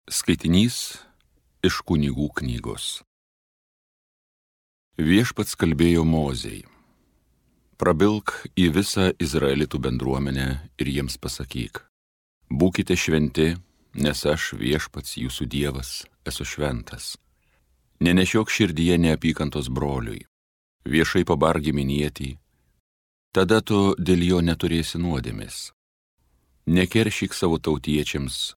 Skaitinys iš Kunigų knygos. Viešpats kalbėjo Mozei: prabilk į visą Izraelitų bendruomenę ir jiems pasakyk: būkite šventi, nes aš, Viešpats jūsų Dievas, esu šventas. Nenešiok širdyje neapykantos broliui, viešai pabark giminietį, tada tu dėl jo neturėsi nuodėmės. Nekeršyk savo tautiečiams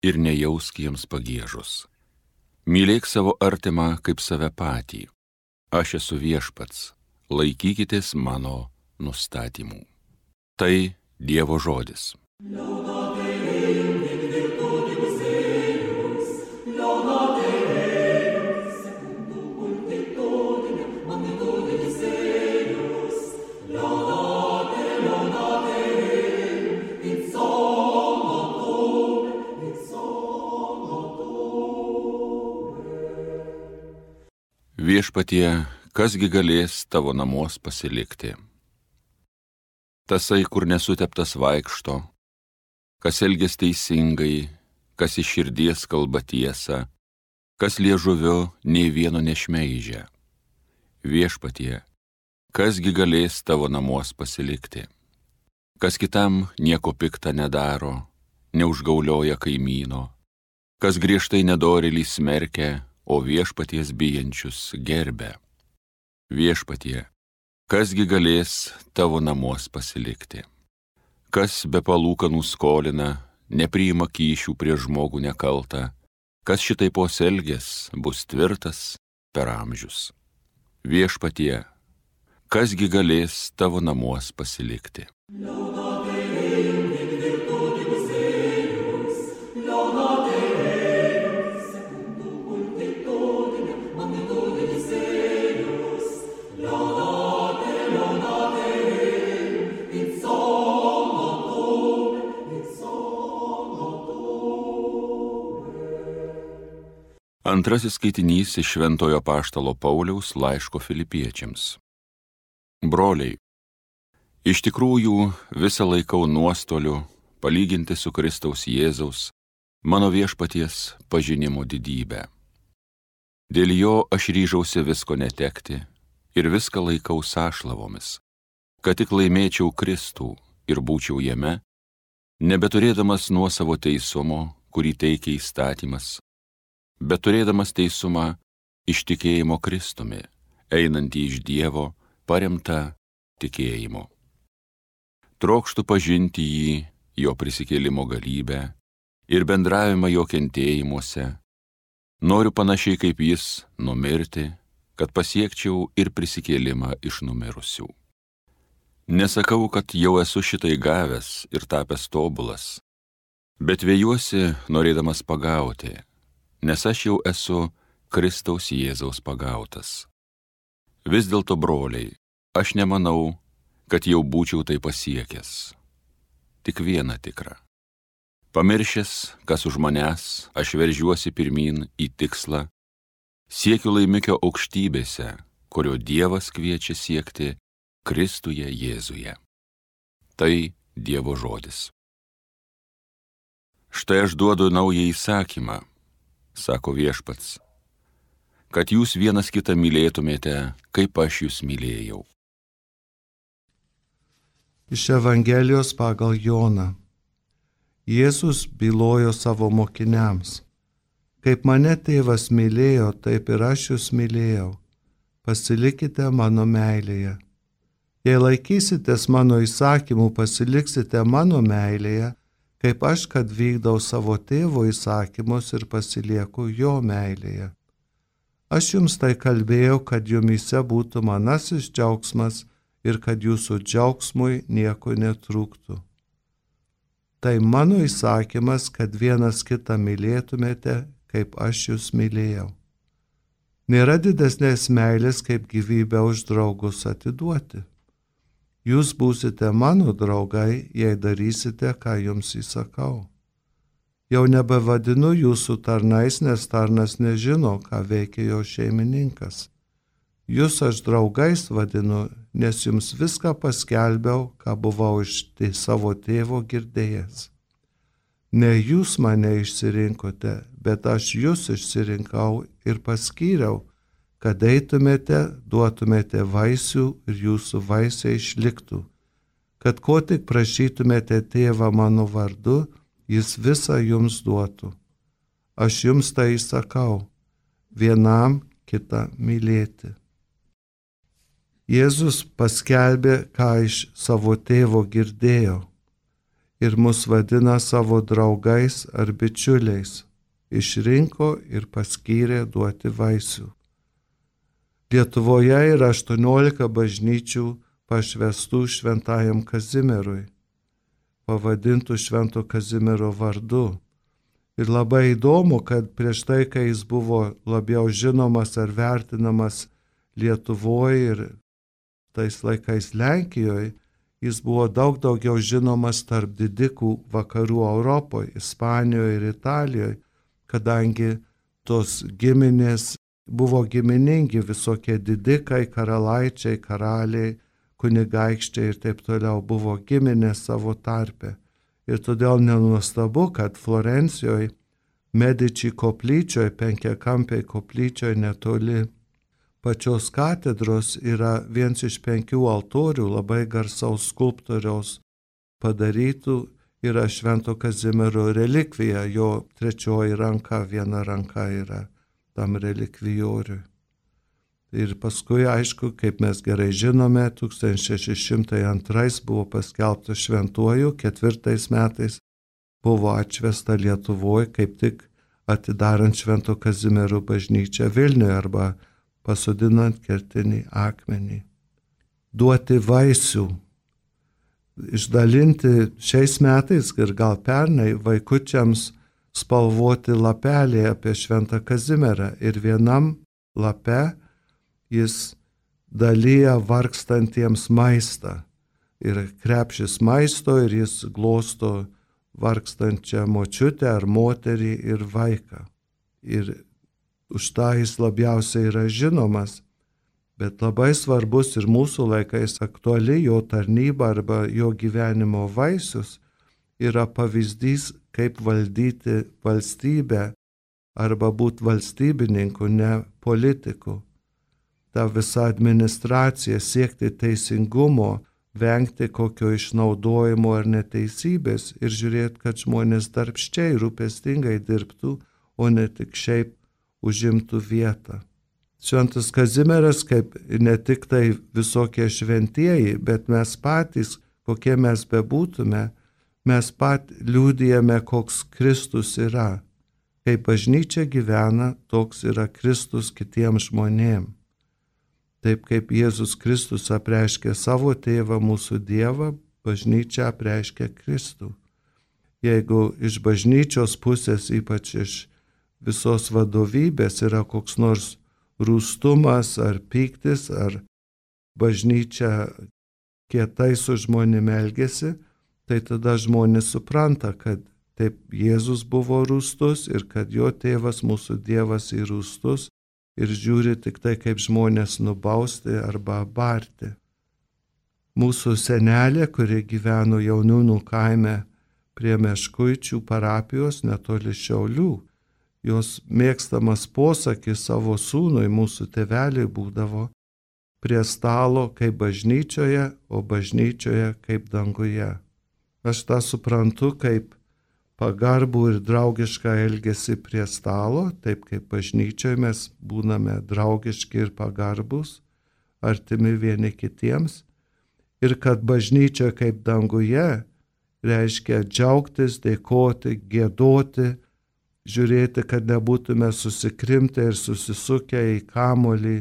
ir nejausk jiems pagiežos. Mylėk savo artimą kaip save patį. Aš esu Viešpats, laikykitės mano nustatymų. Tai Dievo žodis. Viešpatie, kasgi galės tavo namuos pasilikti? Tasai, kur nesuteptas vaikšto, kas elgias teisingai, kas iš širdies kalba tiesą, kas liežuviu nei vieno nešmeižia. Viešpatie, kasgi galės tavo namuos pasilikti? Kas kitam nieko pikta nedaro, neužgaulioja kaimyno, kas griežtai nedorėlį smerkia, o Viešpaties bijančius gerbia. Viešpatie, kasgi galės tavo namuos pasilikti? Kas be palūkanų skolina, nepriima kyšių prieš žmogų nekaltą, kas šitai pasielgęs bus tvirtas per amžius. Viešpatie, kasgi galės tavo namuos pasilikti? Antrasis skaitinys iš Šventojo Apaštalo Pauliaus laiško Filipiečiams. Broliai, iš tikrųjų visą laikau nuostoliu palyginti su Kristaus Jėzaus, mano Viešpaties pažinimo didybę. Dėl jo aš ryžausi visko netekti ir viską laikau sąšlavomis, kad tik laimėčiau Kristų ir būčiau jame, nebeturėdamas nuosavo teisumo, kurį teikia įstatymas, bet turėdamas teisumą iš tikėjimo Kristumi, einantį iš Dievo, paremtą tikėjimu. Trokštu pažinti jį, jo prisikėlimo galybę ir bendravimą jo kentėjimuose. Noriu panašiai kaip jis numirti, kad pasiekčiau ir prisikėlimą iš numirusių. Nesakau, kad jau esu šitai gavęs ir tapęs tobulas, bet vėjuosi norėdamas pagauti, nes aš jau esu Kristaus Jėzaus pagautas. Vis dėlto, broliai, aš nemanau, kad jau būčiau tai pasiekęs. Tik viena tikra. Pamiršęs, kas už manęs, aš veržiuosi pirmyn į tikslą, siekiu laimikio aukštybėse, kurio Dievas kviečia siekti Kristuje Jėzuje. Tai Dievo žodis. Štai aš duodu naują įsakymą, sako Viešpats, kad jūs vienas kitą mylėtumėte, kaip aš jūs mylėjau. Iš Evangelijos pagal Joną. Jėzus bylojo savo mokiniams: kaip mane tėvas mylėjo, taip ir aš jūs mylėjau. Pasilikite mano meilėje. Jei laikysitės mano įsakymų, pasiliksite mano meilėje, kaip aš, kad vykdau savo tėvo įsakymus ir pasilieku jo meilėje. Aš jums tai kalbėjau, kad jumyse būtų manasis džiaugsmas ir kad jūsų džiaugsmui nieko netrūktų. Tai mano įsakymas, kad vienas kitą mylėtumėte, kaip aš jūs mylėjau. Nėra didesnės meilės, kaip gyvybę už draugus atiduoti. Jūs būsite mano draugai, jei darysite, ką jums įsakau. Jau nebevadinu jūsų tarnais, nes tarnas nežino, ką veikia jo šeimininkas. Jūs aš draugais vadinu, nes jums viską paskelbiau, ką buvau iš savo tėvo girdėjęs. Ne jūs mane išsirinkote, bet aš jūs išsirinkau ir paskyriau, kad eitumėte, duotumėte vaisių ir jūsų vaisiai išliktų, kad ko tik prašytumėte tėvą mano vardu, jis visą jums duotų. Aš jums tai įsakau, vienam kitą mylėti. Jėzus paskelbė, ką iš savo tėvo girdėjo ir mus vadina savo draugais ar bičiuliais, išrinko ir paskyrė duoti vaisių. Lietuvoje yra 18 bažnyčių pašvęstų šventajam Kazimierui, pavadintų Švento Kazimiero vardu. Ir labai įdomu, kad prieš tai, kai jis buvo labiau žinomas ar vertinamas Lietuvoje ir tais laikais Lenkijoje, jis buvo daug daugiau žinomas tarp didikų vakarų Europoje, Ispanijoje ir Italijoje, kadangi tos giminės buvo giminingi, visokie didikai, karalaičiai, karaliai, kunigaikščiai ir taip toliau buvo giminės savo tarpe. Ir todėl nenuostabu, kad Florencijoje, Medici koplyčioje, penkiakampiai koplyčioje netoli pačios katedros yra vienas iš 5 altorių labai garsaus skulptoriaus padarytų, yra Švento Kazimiero relikvija, jo 3 ranka, viena ranka yra tam relikvijoriui. Ir paskui, aišku, kaip mes gerai žinome, 1602 buvo paskelbtas šventuoju, 4 metais buvo atšvęsta Lietuvoje, kaip tik atidarant Švento Kazimiero bažnyčią Vilniuje arba pasodinant kertinį akmenį. Duoti vaisių. Išdalinti šiais metais ir gal pernai vaikučiams spalvoti lapelį apie Šventą Kazimierą ir vienam lape jis dalyja vargstantiems maistą ir krepšis maisto ir jis glosto vargstančią močiutę ar moterį ir vaiką. Ir už tą jis labiausiai yra žinomas, bet labai svarbus ir mūsų laikais aktuali jo tarnyba arba jo gyvenimo vaisius yra pavyzdys, kaip valdyti valstybę arba būti valstybininku, ne politiku. Ta visa administracija, siekti teisingumo, vengti kokio išnaudojimo ar neteisybės ir žiūrėti, kad žmonės darbščiai, rūpestingai dirbtų, o ne tik šiaip užimtų vietą. Šventas Kazimieras, kaip ne tik tai visokie šventieji, bet mes patys, kokie mes bebūtume, mes pat liudijame, koks Kristus yra. Kaip bažnyčia gyvena, toks yra Kristus kitiems žmonėms. Taip kaip Jėzus Kristus apreiškė savo tėvą, mūsų Dievą, bažnyčia apreiškė Kristų. Jeigu iš bažnyčios pusės, ypač iš visos vadovybės, yra koks nors rūstumas ar pyktis, ar bažnyčia kietai su žmonėm elgesi, tai tada žmonės supranta, kad taip Jėzus buvo rūstus ir kad jo tėvas, mūsų Dievas, yra rūstus ir žiūri tik tai, kaip žmonės nubausti arba barti. Mūsų senelė, kuri gyveno Jauniūnų kaime prie Meškuičių parapijos netoli Šiaulių, jos mėgstamas posakis savo sūnui, mūsų tėveliui, būdavo: prie stalo kaip bažnyčioje, o bažnyčioje kaip danguje. Aš tą suprantu kaip pagarbų ir draugišką elgesį prie stalo, taip kaip bažnyčioje mes būname draugiški ir pagarbus, artimi vieni kitiems, ir kad bažnyčia kaip danguje reiškia džiaugtis, dėkoti, giedoti, žiūrėti, kad nebūtume susikrimtę ir susisukę į kamuolį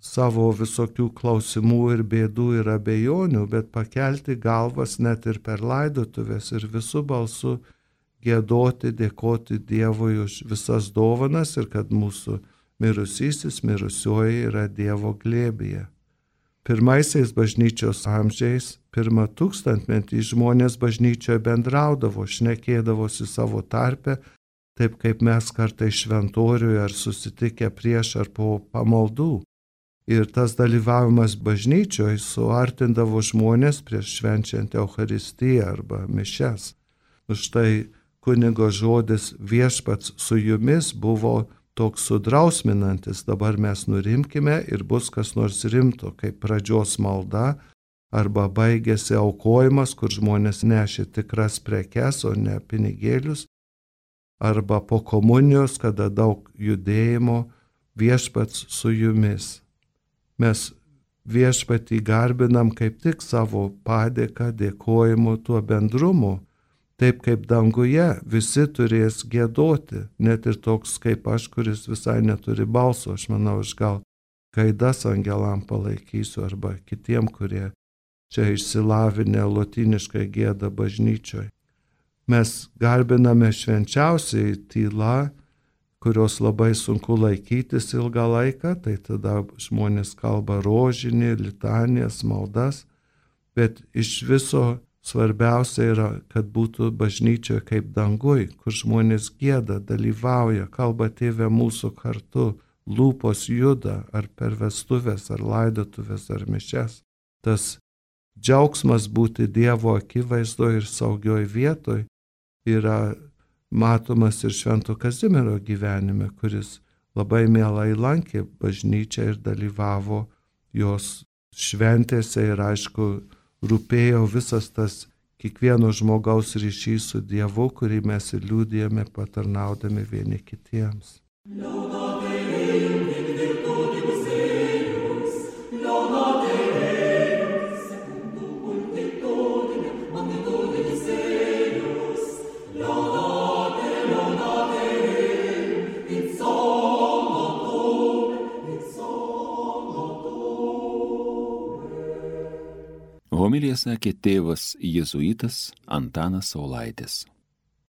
savo visokių klausimų ir bėdų ir abejonių, bet pakelti galvas net ir per laidotuvės ir visų balsų giedoti, dėkoti Dievui už visas dovanas ir kad mūsų mirusysis, mirusioji yra Dievo glėbyje. Pirmaisiais bažnyčios amžiais, 1 tūkstantmetį žmonės bažnyčioje bendraudavo, šnekėdavosi savo tarpe, taip kaip mes kartais šventoriuje ar susitikę prieš ar po pamaldų. Ir tas dalyvavimas bažnyčioje suartindavo žmonės prieš švenčiant Eucharistiją arba mišias. Už tai kunigo žodis viešpats su jumis buvo toks sudrausminantis, dabar mes nurimkime ir bus kas nors rimto, kaip pradžios malda, arba baigėsi aukojimas, kur žmonės nešė tikras prekes, o ne pinigėlius, arba po komunijos, kada daug judėjimo, viešpats su jumis. Mes viešpatį garbinam kaip tik savo padėką, dėkojimu, tuo bendrumu, taip kaip danguje visi turės giedoti, net ir toks kaip aš, kuris visai neturi balso, aš manau, aš gal gaidas angelam palaikysiu, arba kitiem, kurie čia išsilavinę lotyniškai gieda bažnyčioj. Mes garbiname švenčiausiai tyla, kurios labai sunku laikytis ilgą laiką, tai tada žmonės kalba rožinį, litanijas, maldas, bet iš viso svarbiausia yra, kad būtų bažnyčioje kaip danguj, kur žmonės gieda, dalyvauja, kalba Tėve mūsų kartu, lūpos juda, ar per vestuvės, ar laidotuvės, ar mišias. Tas džiaugsmas būti Dievo akivaizdoje ir saugioj vietoj yra matomas ir Švento Kazimiero gyvenime, kuris labai mielai lankė bažnyčią ir dalyvavo jos šventėse ir aišku, rūpėjo visas tas kiekvieno žmogaus ryšys su Dievu, kurį mes ir liudijame patarnaudami vieni kitiems. Homiliją sakė tėvas jėzuitas Antanas Saulaitis.